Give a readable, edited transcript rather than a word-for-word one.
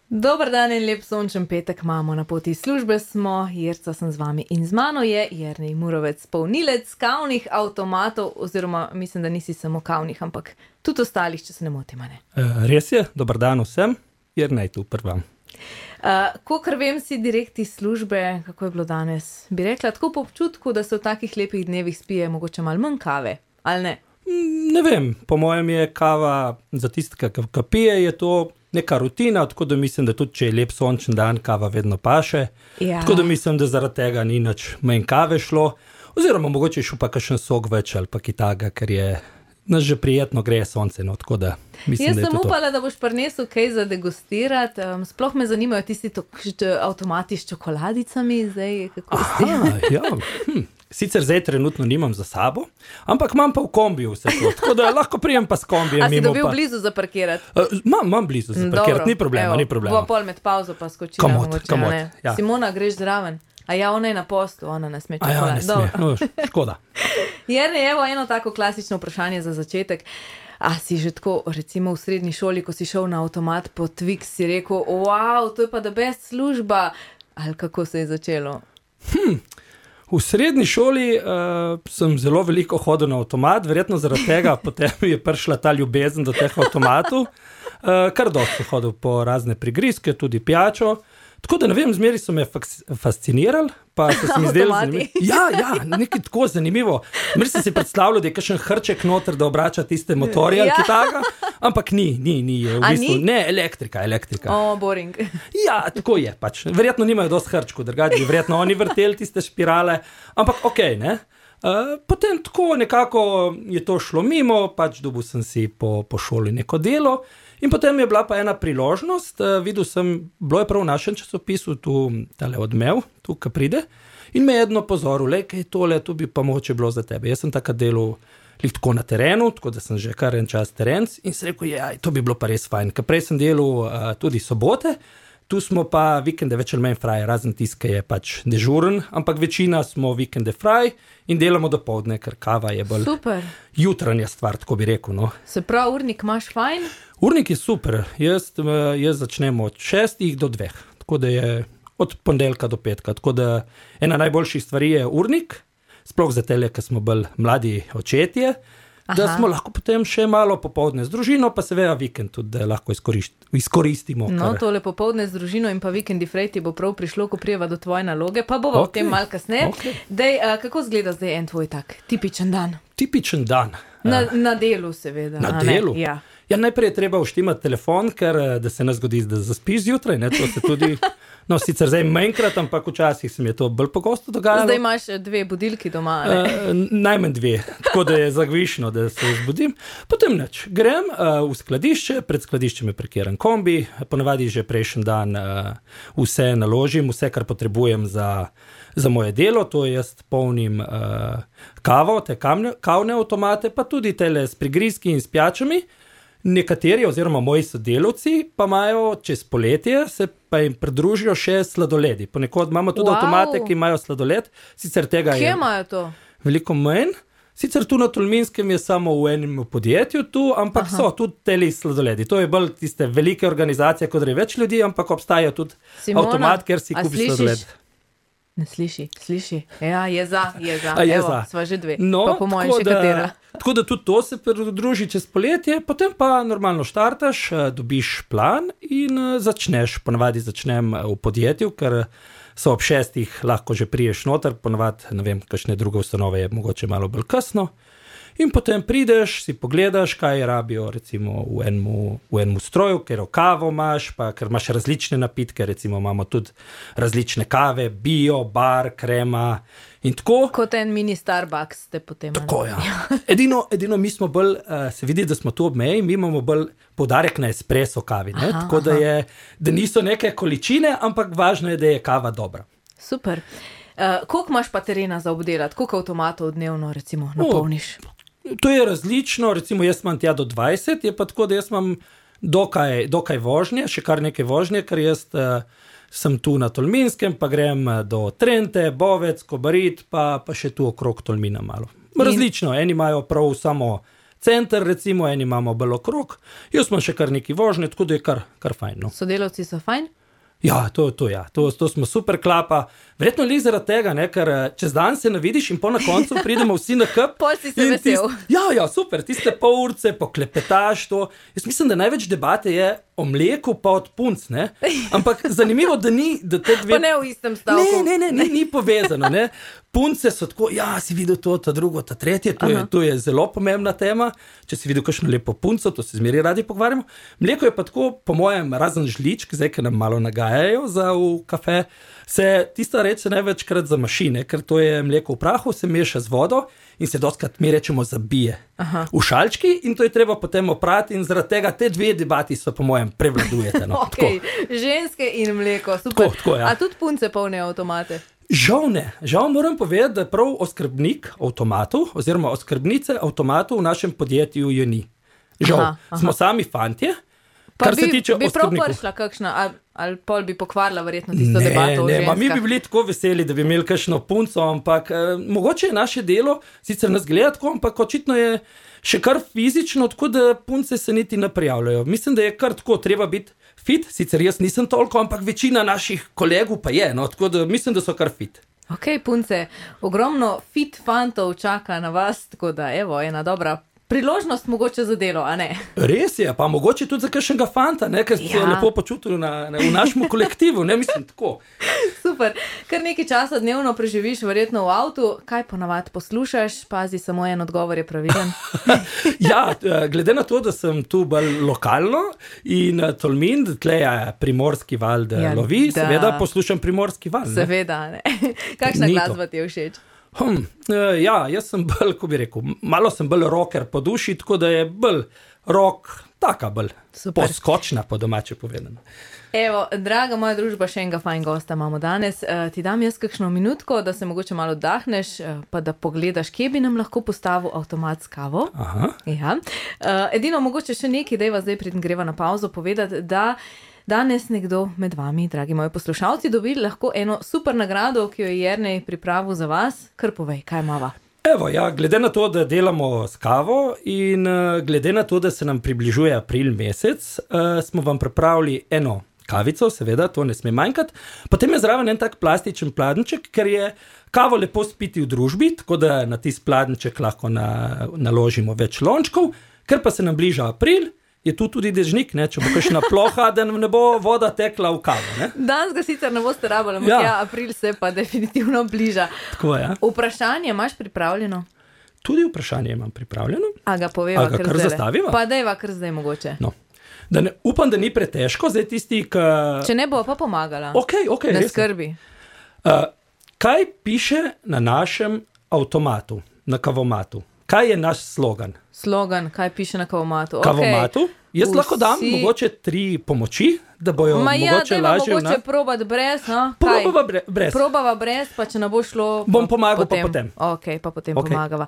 Dober dan in lep sončen petek imamo, na poti službe smo, Jerca sem z vami in z mano je Jernej Murovec, polnilec kavnih avtomatov, oziroma mislim, da nisi samo kavnih, ampak tudi ostalih, če se ne motim, ne? Res je, dober dan vsem, Jernej tu prvam. Kakor vem, si direkt iz službe, kako je bilo danes? Bi rekla tako po občutku, da se v takih lepih dnevih spije mogoče malo manj kave, ali ne? Ne vem, po mojem je kava za tistega, ki pije, je to neka rutina, tako da mislim, da tudi če je lep sončen dan, kava vedno paše. Ja. Tako da mislim, da zaradi tega ni nič manj kave šlo, oziroma mogoče šel pa kakšen sok več ali pa kitaga, ker je nas že prijetno greje sonce, no, tako da mislim, da je to. Jaz sem upala, da boš prinesel kaj za degustirati, sploh me zanimajo tisti avtomati s čokoladicami, zdaj kako ste. Ja, Sicer zdaj trenutno nimam za sabo, ampak imam pa v kombiju vse to, tako da lahko prijem pa s kombijem. A si dobil blizu za parkirati? Imam blizu za parkirati, ni problema, ni problema. Bo pol med pauzo pa skočila mogoče, ne? Ja. Simona, greš zraven? A ja, ona je na postu, ona ne sme čokolad. A ja, ne sme, no, škoda. Jernej, evo eno tako klasično vprašanje za začetek. A si že tako, recimo v srednji šoli, ko si šel na avtomat po Twix, si rekel, wow, to je pa the best služba, ali kako se je začelo? V srednji šoli sem zelo veliko hodil na avtomat, verjetno zaradi tega potem je prišla ta ljubezen do teh avtomatov. Kar dosti hodil po razne prigrizke, tudi pijačo. Tako da ne vem, zmeri so me fascinirali, pa se mi zdelo zanimivo. Ja, nekaj tako zanimivo. Zmeri sem si predstavljal, da je kakšen hrček noter, da obrača tiste motorje ali kitaga, ampak ni, je v bistvu, ne, elektrika. Boring. Ja, tako je pač. Verjetno nimajo dosti hrčkov, drugače bi verjetno oni vrteli tiste špirale, ampak okej, ne. Potem tako nekako je to šlo mimo, pač dobil sem si po šoli neko delo. In potem je bila pa ena priložnost, videl sem, bilo je prav v našem časopisu, tu tale Odmev, tu, ki pride, in me je jedno pozoril, kaj je tole, tu bi pa mogoče bilo za tebe. Jaz sem takrat delal tako na terenu, tako da sem že kar en čas terenc in sem rekel, to bi bilo pa res fajn, ker prej sem delal tudi sobote, tu smo pa vikende več ali manj fraj, razen tiska je pač dežuren, ampak večina smo vikende fraj in delamo dopoldne, ker kava je bolj jutranja stvar, tako bi rekel. No. Se pravi, urnik imaš fajn? Urnik je super, jaz začnem od 6 do 2, tako da je od ponedeljka do petka, tako da ena najboljših stvari je urnik, sploh za tele, ker smo bolj mladi očetje, da smo lahko potem še malo popoldne z družino, pa seveda vikend tudi, da lahko izkoristimo. No, tole popoldne z družino in pa vikendi frejti bo prav prišlo, ko prijeva do tvoje naloge, pa bova o tem malo kasneje. Dej, kako izgleda zdaj en tvoj tak tipičen dan? Tipičen dan? Na delu seveda. Na delu? Ja. Ja, najprej je treba vštimati telefon, ker da se ne zgodi, da zaspiš zjutraj, ne, to se tudi, no, sicer zdaj manjkrat, ampak včasih se mi je to bolj pogosto dogajalo. Zdaj imaš 2 budilki doma, ne? Najmanj 2, tako da je zagvišno, da se zbudim. Potem nič, grem v skladišče, pred skladiščem je parkiran kombi, ponavadi že prejšnji dan vse naložim, vse, kar potrebujem za moje delo, to jaz polnim kavo, te kavne avtomate, pa tudi tele s prigrizki in s pijačami. Nekateri oziroma moji sodelavci pa imajo čez poletje, se pa jim pridružijo še sladoledi. Ponekod imamo tudi avtomate, ki imajo sladoled. Sicer tega Kje imajo to? Veliko manj. Sicer tu na Tolminskem je samo v enem podjetju tu, ampak so tudi teli sladoledi. To je bolj tiste velike organizacije, kot je več ljudi, ampak obstaja tudi avtomat, kjer si kupiš sladoled. Ne sliši. Ja, je za. Evo, sva že 2, no, pa po mojem še katera. Tako da tudi to se pridruži čez poletje, potem pa normalno štartaš, dobiš plan in začneš. Ponavadi začnem v podjetju, ker so ob 6 lahko že priješ noter, ponavadi, ne vem, kakšne druge ustanove je mogoče malo bolj kasno. In potem prideš, si pogledaš, kaj rabijo recimo v enemu stroju, ker kavo imaš, pa ker imaš različne napitke, recimo imamo tudi različne kave, bio, bar, krema in tako. Kot en mini Starbucks ste potem. Tako, ja. Edino mi smo bolj, se vidi, da smo tu ob meji, mi imamo bolj poudarek na espresso kavi, ne? Tako da niso neke količine, ampak važno je, da je kava dobra. Super. Koliko imaš pa terena za obdelati? Koliko avtomatov dnevno recimo napolniš? To je različno, recimo jaz imam tja do 20, je pa tako, da jaz imam dokaj vožnje, še kar nekaj vožnje, ker jaz sem tu na Tolminskem, pa grem do Trente, Bovec, Kobarid, pa še tu okrog Tolmina malo. Različno, eni imajo prav samo center, recimo, eni imamo bolj okrog, jaz imam še kar neki vožnje, tako da je kar fajn. No. Sodelavci so fajn? Ja, to smo super klapa. Verjetno li zaradi tega, ne, ker čez dan se navidiš in po na koncu pridemo vsi na kup. Pol si se vesel. Ja, super, tiste pol urce, poklepetaš to. Jaz mislim, da največ debate je o mleku pa od punc, ne. Ampak zanimivo, da te dve... Pa ne v istem stavku. Ne, ni povezano, ne. Punce so tako, ja, si videl to, ta drugo, ta tretje, to je zelo pomembna tema. Če si videl kakšno lepo punco, to se zmeri radi pogovarjamo. Mleko je pa tako, po mojem, razen žličk, zdaj, ker nam malo nagajajo v kafe, tista reč se največkrat zamaši, ne, ker to je mleko v prahu, se meša z vodo in se dostkrat mi rečemo zabije v šalčki in to je treba potem oprati in zaradi tega te dve debati so, po mojem, prevladujete. No. Okay. Ženske in mleko, super. Tako, ja. A tudi punce polnijo avtomate? Žal ne. Žal moram povedati, da prav oskrbnik avtomatov oziroma oskrbnice avtomatov v našem podjetju je ni. Žal. Smo sami fantje, kar se tiče oskrbnikov. Bi prav prišla kakšna, ali pol bi pokvarila verjetno tisto debato o ženskah? Mi bi bili tako veseli, da bi imeli kakšno punco, ampak mogoče je naše delo, sicer nas gleda tako, ampak očitno je še kar fizično, tako da punce se niti ne prijavljajo. Mislim, da je kar tako, treba biti fit, sicer jaz nisem toliko, ampak večina naših kolegov pa je, no, tako da mislim, da so kar fit. Ok, punce, ogromno fit fantov čaka na vas, tako da evo, ena dobra priložnost mogoče za delo, a ne? Res je, pa mogoče tudi za kakšnega fanta, ne, ker se je lepo počutil v našem kolektivu, ne, mislim tako. Super, kar nekaj časa dnevno preživiš verjetno v avtu, kaj ponavadi poslušaš, pazi, samo en odgovor je pravilen. Ja, glede na to, da sem tu bolj lokalno in Tolmin, tle je Primorski val, da lovi, seveda poslušam Primorski val. Ne? Seveda, ne. Kakšna glasba ti je všeč? Ja, jaz sem bolj, ko bi rekel, malo sem bolj rocker po duši, tako da je bolj rock, taka bolj poskočna, po domače povedano. Evo, draga moja družba, še enega fajn gosta imamo danes. Ti dam jaz kakšno minutko, da se mogoče malo oddahneš, pa da pogledaš, kje bi nam lahko postavil avtomat s kavo. Aha. Ja. Edino mogoče še nekaj, dajva zdaj preden greva na pauzo povedati, da danes nekdo med vami, dragi moji poslušalci, dobi lahko eno super nagrado, ki jo je Jernej pripravil za vas. Kar povej, kaj imava? Evo, ja, glede na to, da delamo s kavo in glede na to, da se nam približuje april mesec, smo vam pripravili eno kavico, seveda, to ne sme manjkati. Potem je zraven en tak plastičen pladenček, ker je kavo lepo spiti v družbi, tako da na tisti pladenček lahko naložimo več lončkov, ker pa se nam bliža april, je tu tudi dežnik, ne, če bo kakšna ploha, da nam ne bo voda tekla v kavo. Ne? Danes ga sicer ne boste rabili, ampak ja, april se pa definitivno bliža. Tako je. Vprašanje imaš pripravljeno? Tudi vprašanje imam pripravljeno. A ga poveva kar zdaj? Zastaviva? Pa dajva kar zdaj mogoče. No. Upam, da ni pretežko, zdaj tisti, Če ne bo pa pomagala. Ok, ne skrbi. Kaj piše na našem avtomatu, na kavomatu? Kaj je naš slogan? Slogan, kaj piše na kavomatu? Kavomatu? Jaz lahko dam mogoče 3 pomoči, da bojo mogoče lažje. Mogoče probati brez, no? Probava brez. Probava brez, pa če ne bo šlo... Bom pomagal pa potem. Ok, pa potem pomagava.